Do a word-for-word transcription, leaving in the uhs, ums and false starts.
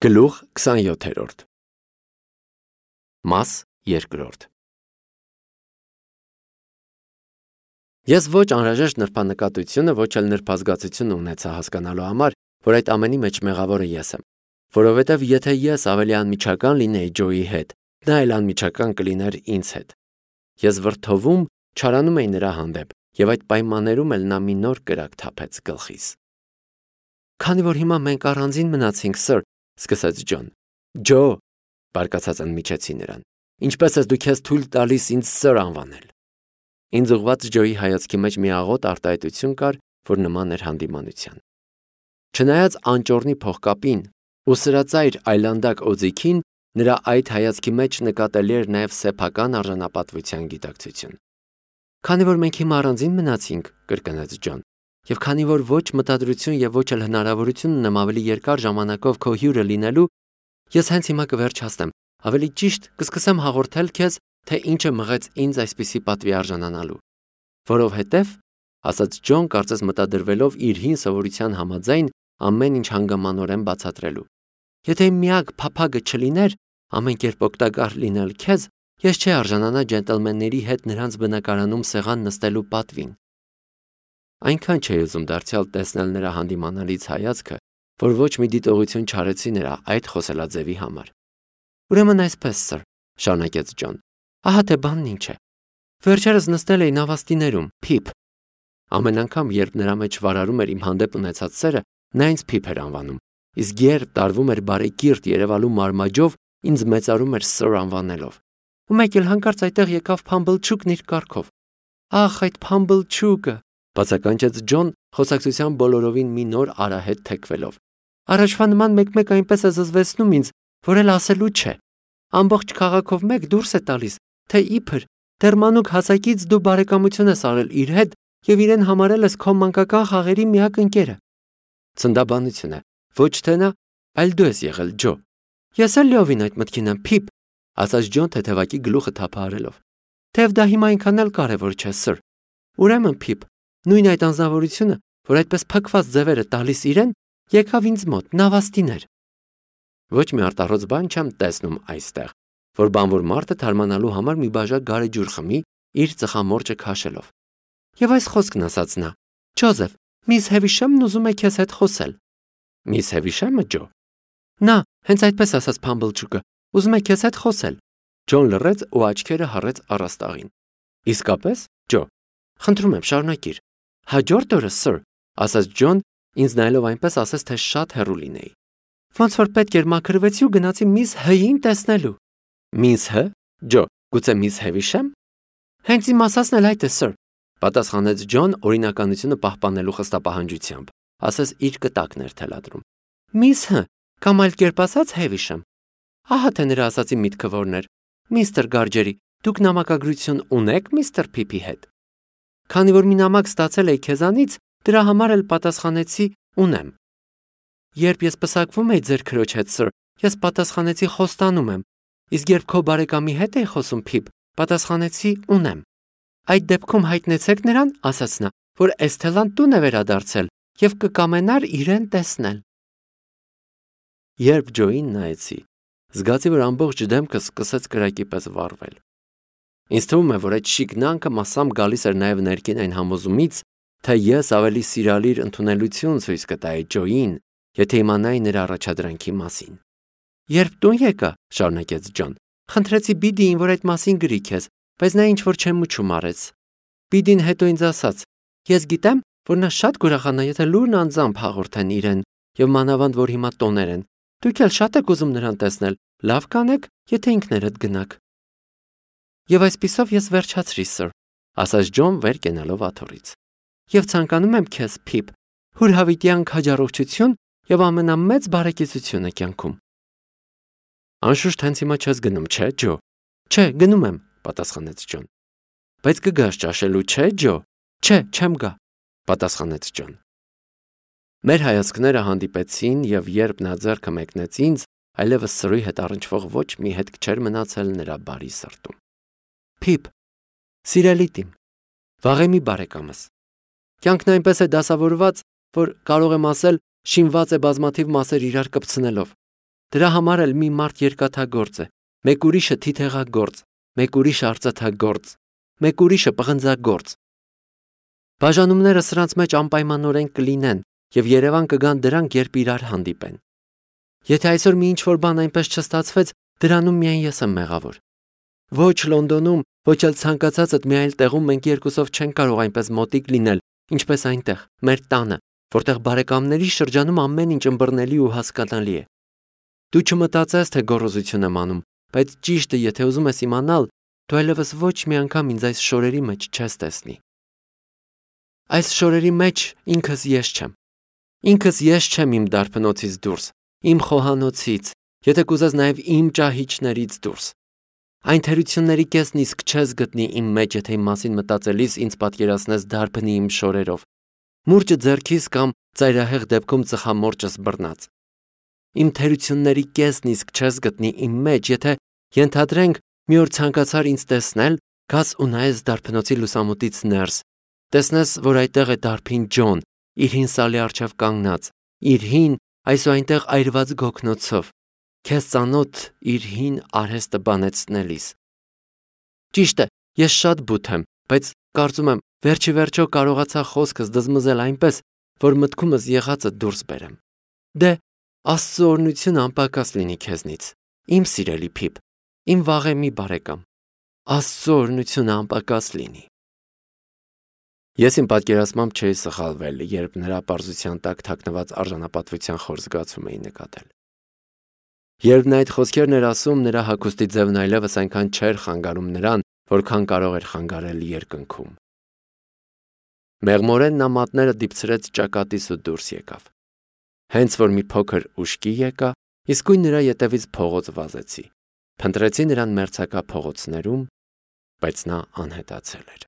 Գլուխ քսանյոթերորդ Մաս երկրորդ Ես ոչ անհրաժեշտ նրբանկատությունը, ոչ էլ նրբազգացությունը ունեցա հասկանալու համար, որ այդ ամենի մեջ մեղավորը ես եմ, որովհետև եթե ես ավելի անմիջական լինեի Ջոյի հետ, նա էլ անմիջական կլիներ ինձ հետ։ Ես վրդովում չարանում էի նրա հանդեպ, եւ այդ պայմաններում էլ նա մի նոր կրակ թափեց գլխիս։ Քանի որ հիմա մենք առանձին մնացինք, սըր, սկսեց Ջոն։ Ջո, բարկացած ընդմիջեցի նրան, ինչպես ես դու քեզ թույլ տալիս ինձ սըր անվանել։ Ինձ ուղված Ջոյի հայացքի մեջ մի աղոտ արտահայտություն կար, որ նման էր հանդիմանության։ Չնայած անճոռնի փողկապին ու սրածայր այլանդակ օձիքին, նրա այդ հայացքի մեջ նկատելի էր նաև սեփական արժանապատվության գիտակցություն։ Քանի որ մենք հիմա առանձին մնացինք, կրկնեց Ջոն, եւ քանի որ ոչ մտադրություն եւ ոչ էլ հնարավորություն ունեմ ավելի երկար ժամանակով քո հյուրը լինելու, ես հենց հիմա կվերջացնեմ, ավելի ճիշտ կսկսեմ հաղորդել քեզ, թե ինչը մղեց ինձ այսպիսի պատվի արժանանալու։ Որովհետև, ասաց Ջոն, կարծես մտադրվելով իր հին սովորության համաձայն ամեն ինչ հանգամանորեն բացատրելու։ Եթե միակ փափագը չլիներ, ամեն կերպ օգտակար լինել քեզ, ես չէ արժանանա ջենտլմենների հետ նրանց բնակարանում սեղան նստելու պատվին։ Այնքան չէի ուզում դարձյալ տեսնել նրա հանդիմանալից հայացքը, որ ոչ մի դիտողություն չարեցի նրա այդ խոսելաձևի համար։ Ուրեմն այսպես, սըր, շարունակեց Ջոն, ահա թե բանն ինչ է։ Վերջերս նստել էի նավաստիներում, Փիփ։ Ամեն անգամ, երբ նրա մեջ վարարում էր իմ հանդեպ ունեցած սերը, նա ինձ Փիփ էր անվանում, իսկ երբ տարվում էր բարեկիրթ երևալու մարմաջով, ինձ մեծարում էր սըր անվանելով։ Ու մեկ էլ հանկարծ այդտեղ եկավ Փամբլչուկն իր կառքով։ Ախ, այդ Փամբլչուկը, բացականչեց Ջոն, խոսակցության բոլորովին մի նոր արահետ թեքվելով։ Առաջվա նման մեկ-մեկ այնպես է զզվեցնում ինձ, որ էլ ասելու չէ։ Ամբողջ քաղաքով մեկ դուրս է տալիս, թե իբր դեռ մանուկ հասակից դու բարեկամություն ես արել իր հետ եւ իրեն համարել ես քո մանկական խաղերի միակ ընկերը։ Ցնդաբանություն է, ոչ թե նա, այլ դու ես եղել, Ջո։ Ես էլ լիովին այդ մտքին եմ, Փիփ, ասաց Ջոն թեթևակի գլուխը թափահարելով։ Թեև դա հիմա այնքան էլ կարևոր չէ, սըր։ Ուրեմն, Փիփ, նույն այդ անձնավորությունը, որ այդպես փքված ձևերը տալիս իրեն, եկավ ինձ մոտ, նավաստիներ։ Ոչ մի արտառոց բան չեմ տեսնում այստեղ, որ բանվոր մարդը թարմանալու համար մի բաժակ գարեջուր խմի, իր ծխամորճը քաշելով։ Եվ այս խոսքն ասաց նա. Ջոզեֆ, միս Հևիշամն ուզում է քեզ հետ խոսել։ Միս Հևիշամը, Ջո։ Նա, հենց այդպես ասաց Փամբլչուկը, ուզում է քեզ հետ խոսել։ Ջոն լռեց ու աչքերը հառեց առաստաղին։ Իսկապես, Ջո, խնդրում եմ, շարունակիր։ Հաջորդ օրը, սըր, ասաց Ջոն, ինձ նայելով այնպես ասես, թե շատ հեռու լինեի։ Ոնց որ պետք էր մաքրվեցի ու գնացի միս Հ-ին տեսնելու։ Միս Հ, Ջո, գուցե միս Հևիշամ։ Հենց իմ ասածն էլ այդ է, սըր, պատասխանեց Ջոն օրինականությունը պահպանելու խստապահանջությամբ, ասես իր կտակն էր թելադրում։ Միս Հ, կամ այլ կերպ ասած Հևիշամ։ Ահա թե նրա ասածի միտքը որն էր։ Միստր Գարջերի, դուք նամակագրություն ունեք միստր Փիփի հետ։ Քանի որ մի նամակ ստացել էի քեզանից, դրա համար էլ պատասխանեցի ունեմ։ Երբ ես պսակվում էի ձեր քրոջ հետ, սըր, ես պատասխանեցի խոստանում եմ, իսկ երբ քո բարեկամի հետ էի խոսում, Փիփ, պատասխանեցի ունեմ։ Այդ դեպքում հայտնեցեք նրան, ասաց նա, որ Էսթելան տուն է վերադարձել եւ կկամենար իրեն տեսնել։ Երբ Ջոին նայեցի, զգացի, որ ամբողջ դեմքը սկսեց կրակի պես վառվել։ Ինձ թվում է, որ այդ շիկնանքը մասամբ գալիս էր նաև ներքին այն համոզումից, թե ես ավելի սիրալիր ընդունելություն ցույց կտայի Ջոյին, եթե իմանայի նրա առաջադրանքի մասին։ Երբ տուն եկա, շարունակեց Ջոն, խնդրեցի Բիդիին, որ այդ մասին գրի քեզ, բայց նա ինչ-որ չեմուչում արեց։ Բիդին հետո ինձ ասաց. Ես գիտեմ, որ նա շատ կուրախանա, եթե լուրն անձամբ հաղորդեն իրեն, եւ մանավանդ որ հիմա տոներ են։ Դուք էլ շատ եք ուզում նրան տեսնել, լավ կանեք, եթե ինքներդ գնաք։ Եվ այսպիսով ես վերջացրի, սըր, ասաց Ջոն վեր կենալով աթոռից։ Եվ ցանկանում եմ քեզ, Փիփ, հուրհավիտյան քաջառողջություն եւ ամենամեծ բարեկեցությունը կյանքում։ Անշուշտ հենց հիմա չես գնում, չէ, Ջո։ Չէ, գնում եմ, պատասխանեց Ջոն։ Բայց կգաս ճաշելու, չէ, Ջո։ Չէ, չեմ գա, պատասխանեց Ջոն։ Մեր հայացքները հանդիպեցին եւ երբ նա ձեռքը մեկնեց ինձ, այլևս սրի հետ առնչվող ոչ մի հետք չէր մնացել նրա բարի սրտում։ Փիփ, սիրելի տիմ, վաղեմի բարեկամս։ Կյանքն այնպես է դասավորված, որ կարող եմ ասել, շինված է բազմաթիվ մասեր իրար կպցնելով։ Դրա համար էլ մի մարդ երկաթագործ է, մեկ ուրիշը թիթեղագործ, մեկ ուրիշը արծաթագործ, մեկ ուրիշը պղնձագործ։ Բաժանումները սրանց մեջ անպայմանորեն կլինեն եւ Երևան կգան դրանք, երբ իրար հանդիպեն։ Եթե այսօր մի ինչ-որ բան այնպես չստացվեց, դրանում միայն ես եմ մեղավոր։ Ոչ Լոնդոնում, ոչ էլ ցանկացածդ մի այլ տեղում մենք երկուսով չենք կարող այնպես մոտիկ լինել, ինչպես այնտեղ, մեր տանը, որտեղ բարեկամների շրջանում ամեն ինչ ըմբռնելի ու հասկանալի է։ Դու չմտածես, թե գոռոզություն եմ անում, բայց ճիշտը, եթե ուզում ես իմանալ, դու այլևս ոչ մի անգամ ինձ այս շորերի մեջ չես տեսնի։ Այս շորերի մեջ ինքս ես չեմ։ Ինքս ես չեմ իմ դարբնոցից դուրս, իմ խոհանոցից, եթե կուզես նաև իմ ճահիճներից դուրս։ Այն թերությունների կեսն իսկ չես գտնի իմ մեջ, եթե իմ մասին մտածելիս ինձ պատկերացնես դարբնի իմ շորերով, մուրճը ձեռքիս կամ ծայրահեղ դեպքում ծխամորճս բռնած։ Իմ թերությունների կեսն իսկ չես գտնի իմ մեջ, եթե ենթադրենք մի օր ցանկացար ինձ տեսնել, գաս ու նայես դարբնոցի լուսամուտից ներս, տեսնես, որ այդտեղ է դարբին Ջոն, իր հին սալի առջև կանգնած, իր հին, այսուհայտեղ այրված գոգնոցով, քեզ ծանոթ իր հին արհեստը բանեցնելիս։ Ճիշտ է, ես շատ բութ եմ, բայց կարծում եմ, վերջի վերջո կարողացա խոսքս դզմզել այնպես, որ մտքումս եղածը դուրս բերեմ։ Դե, Աստծո օրհնությունը անպակաս լինի քեզնից, իմ սիրելի Փիփ, իմ վաղեմի բարեկամ։ Աստծո օրհնությունը անպակաս լինի։ Ես իմ պատկերացմամբ չէի սխալվել, երբ նրա պարզության տակ թաքնված արժանապատվության խոր զգացում էի նկատել։ Երբ նա այդ խոսքերն էր ասում, նրա հագուստի ձևն այլևս այնքան չէր խանգարում նրան, որքան կարող էր խանգարել երկնքում։ Մեղմորեն նա մատները դիպցրեց ճակատից ու դուրս եկավ։ Հենց որ մի փոքր ուշքի եկա, իսկույն նրա ետևից փողոց վազեցի։ Փնտրեցի նրան մերձակա փողոցներում, բայց նա անհետացել էր։